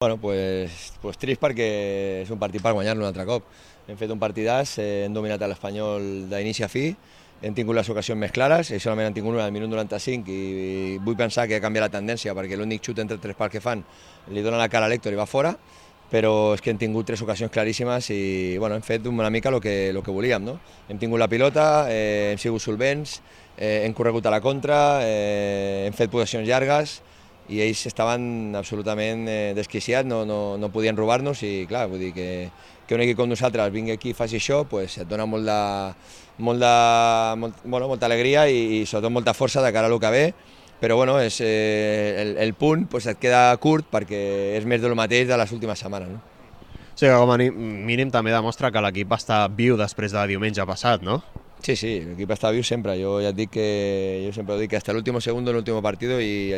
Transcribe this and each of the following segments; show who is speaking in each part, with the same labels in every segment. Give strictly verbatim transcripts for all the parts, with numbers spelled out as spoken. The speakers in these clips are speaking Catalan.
Speaker 1: Bueno, pues, pues trist perquè és un partit per guanyar-lo un altre cop. Hem fet un partidàs, eh, hem dominat l'Espanyol d'inici a fi, hem tingut les ocasions més clares, i solament han tingut una al minut noranta-cinc, i, i vull pensar que ha canviat la tendència, perquè l'únic xut entre tres pals que fan li dona la cara a l'Héctor i va fora, però és que hem tingut tres ocasions claríssimes i bueno, hem fet una mica el que, lo que volíem. No? Hem tingut la pilota, eh, hem sigut solvents, eh, hem corregut a la contra, eh, hem fet possessions llargues, i ells estaven absolutament eh, desquiciats, no, no, no podien robar-nos i clar, vull dir que, que un equip com nosaltres vingui aquí i faci això, pues, et dona molt de, molt de, molt, bueno, molta alegria i, i sobretot molta força de cara a lo que ve, però bueno, és, eh, el, el punt pues, et queda curt perquè és més del mateix de les últimes setmanes. No?
Speaker 2: Sí, que com a mínim també demostra que l'equip està viu després de diumenge passat, no?
Speaker 1: Sí, sí, l'equip està viu sempre. Yo ya dic que yo siempre digo que hasta el último segundo, el último partido, y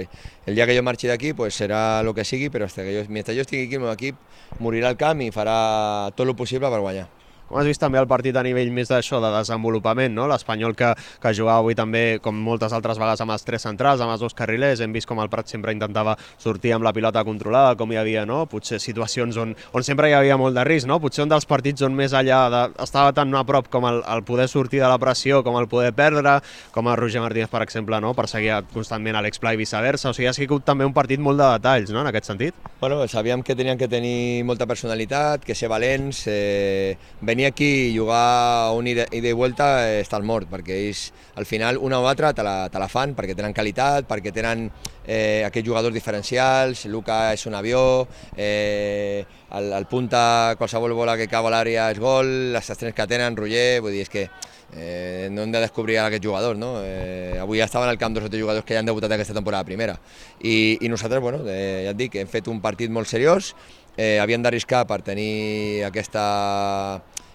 Speaker 1: el día que yo marchi de aquí, pues será lo que sigui, pero hasta que yo, mientras yo estigui aquí, el meu equip morirà al camp i farà tot el possible per guanyar.
Speaker 2: Com has vist també el partit a nivell més d'això, de desenvolupament, no? L'Espanyol que, que jugava avui també, com moltes altres vegades, amb els tres centrals, amb els dos carrilers, hem vist com el Prat sempre intentava sortir amb la pilota controlada, com hi havia, no? Potser situacions on, on sempre hi havia molt de risc, no? Potser un dels partits on més allà de, estava tan a prop com el, el poder sortir de la pressió, com el poder perdre, com el Roger Martínez, per exemple, no? Perseguia constantment Alex Pla i viceversa, o sigui, ha sigut també un partit molt de detalls, no? En aquest sentit.
Speaker 1: Bueno, sabíem que tenien que tenir molta personalitat, que ser valents, eh, venir aquí i jugar un ida i vuelta eh, estàs mort, perquè ells al final una o altra te la, te la fan perquè tenen qualitat, perquè tenen eh, aquests jugadors diferencials. Luka és un avió, eh, el, el punta, qualsevol bola que cau a l'àrea és gol, les estrens que tenen, Roger, vull dir, és que eh, no hem de descobrir aquests jugadors, no? Eh, avui ja estaven al camp dos o tres jugadors que ja han debutat aquesta temporada primera, i, i nosaltres, bueno, eh, ja et dic, hem fet un partit molt seriós, eh, havíem d'arriscar per tenir aquesta...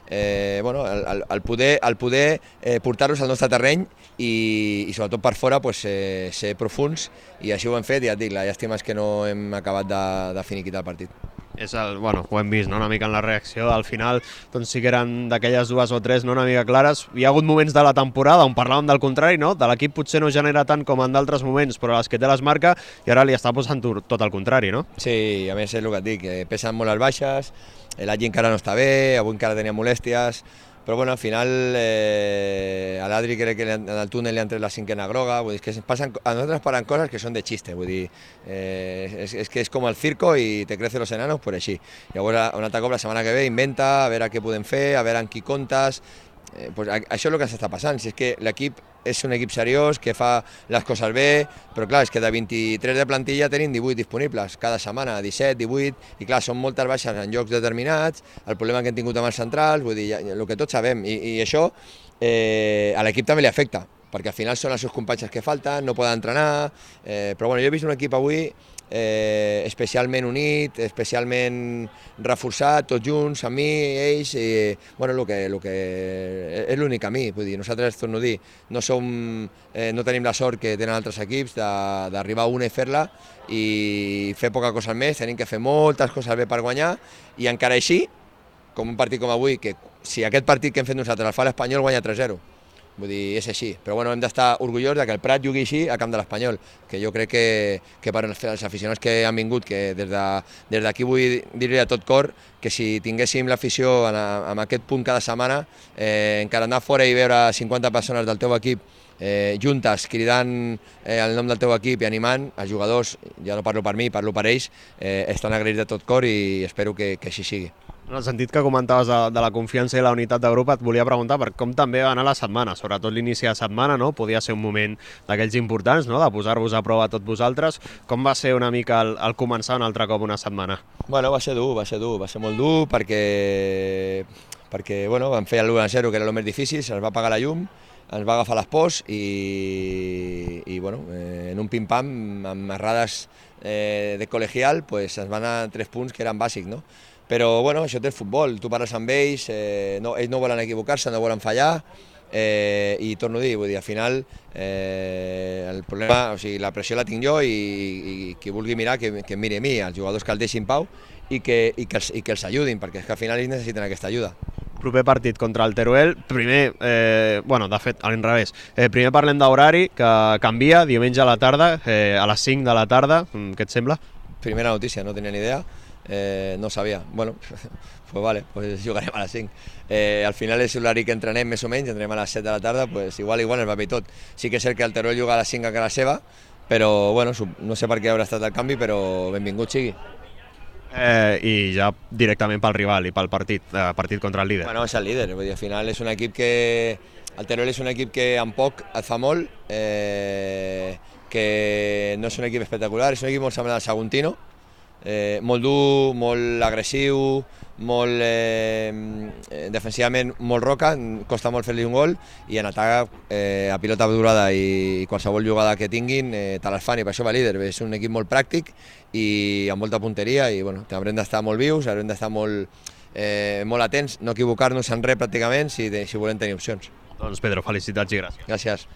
Speaker 1: Eh, bueno, el, el poder, el poder eh, portar-los al nostre terreny i, i sobretot per fora pues, eh, ser profuns, i així ho hem fet, i ja et dic, la llàstima és que no hem acabat de, de finiquitar el partit.
Speaker 2: És el, bueno, ho hem vist, no? Una mica en la reacció, al final doncs sí que eren d'aquelles dues o tres, no? Una mica clares. Hi ha hagut moments de la temporada on parlàvem del contrari, no? De l'equip potser no genera tant com en d'altres moments, però les que té les marca, i ara li està posant tot el contrari, no?
Speaker 1: Sí, a més és el que et dic, que pesen molt les baixes, l'Adri encara no està bé, avui encara tenia molèsties, però bueno, al final eh, a l'Adri crec que en el túnel li han tret la cinquena groga, vull dir, és que passen, a nosaltres paran coses que són de xiste, vull dir, eh, és, és que és com el circo i te crecen los enanos, pues així. Llavors, un altre cop la setmana que ve inventa, a veure què podem fer, a veure amb qui comptes, eh, pues això és el que s'està passant, si és que l'equip és un equip seriós, que fa les coses bé, però clar, és que de vint-i-tres de plantilla tenim divuit disponibles cada setmana, disset, divuit, i clar, són moltes baixes en llocs determinats, el problema que hem tingut amb els centrals, vull dir, el que tots sabem, i, i això eh, a l'equip també li afecta, perquè al final són els seus companys que falten, no poden entrenar, eh, però bueno, jo he vist un equip avui eh, especialment unit, especialment reforçat, tots junts, amb mi, ells, i bueno, el que, el que és l'únic camí, vull dir, nosaltres, torno a dir, no som, eh, no tenim la sort que tenen altres equips d'arribar a una i fer-la i fer poca cosa més, tenim que fer moltes coses bé per guanyar, i encara així, com un partit com avui, que si aquest partit que hem fet nosaltres el fa l'Espanyol guanya tres zero, vull dir, és així, però bueno, hem d'estar orgullosos que el Prat jugui així a camp de l'Espanyol, que jo crec que, que per als aficionats que han vingut, que des d'aquí de, vull dir-li a tot cor que si tinguéssim l'afició en, en aquest punt cada setmana, eh, encara anar fora i veure cinquanta persones del teu equip eh, juntes, cridant eh, el nom del teu equip i animant, els jugadors, ja no parlo per mi, parlo per ells, eh, estan agraïts de tot cor i espero que, que així sigui.
Speaker 2: En el sentit que comentaves de, de la confiança i la unitat de grup, et volia preguntar per com també va anar la setmana, sobretot l'inici de setmana, no? Podia ser un moment d'aquells importants, no? De posar-vos a prova a tots vosaltres. Com va ser una mica el, el començar un altre cop una setmana?
Speaker 1: Bueno, va ser dur, va ser dur, va ser molt dur perquè, perquè bueno, vam fer l'u a zero, que era el més difícil, se'ns va apagar la llum, ens va agafar les pors i, i bueno, eh, en un pim-pam, amb errades eh, de col·legial, pues, ens van anar tres punts que eren bàsics, no? Però bueno, això té el futbol, tu parles amb ells, eh, no, ells no volen equivocar-se, no volen fallar, eh, i torno a dir, vull dir, al final eh, el problema, o sigui, la pressió la tinc jo i, i qui vulgui mirar que, que miri a mi, els jugadors que el deixin pau i que, i que, els, i que els ajudin, perquè és que al final ells necessiten aquesta ajuda.
Speaker 2: Proper partit contra el Teruel, primer, eh, bueno, de fet, a l'inrevés, eh, primer parlem d'horari, que canvia, diumenge a la tarda, eh, a les cinc de la tarda, què et sembla?
Speaker 1: Primera notícia, no tenia ni idea. Eh, no ho sabia. Bueno, pues vale, pues jugarem a les cinc. Eh, al final és l'horari que entrenem més o menys, entrenem a les set de la tarda, pues igual, igual el paper i tot. Sí que és cert que el Teruel juga a les cinc a casa seva, però bueno, no sé per què haurà estat el canvi, però benvingut sigui.
Speaker 2: Eh, I ja directament pel rival i pel partit, eh, partit contra el líder.
Speaker 1: Bueno, és el líder, vull dir, al final és un equip que... El Teruel és un equip que amb poc et fa molt, eh, que no és un equip espectacular, és un equip molt semblant al Saguntino, eh, molt dur, molt agressiu, molt eh, defensivament molt roca, costa molt fer-li un gol, i en atac eh, a pilota durada i qualsevol jugada que tinguin eh, te les fan, i per això va líder. És un equip molt pràctic i amb molta punteria, i bueno, haurem d'estar molt vius, haurem d'estar molt, eh, molt atents, no equivocar-nos en res pràcticament si, si volem tenir opcions.
Speaker 2: Doncs Pedro, felicitats i gràcies.
Speaker 1: Gràcies.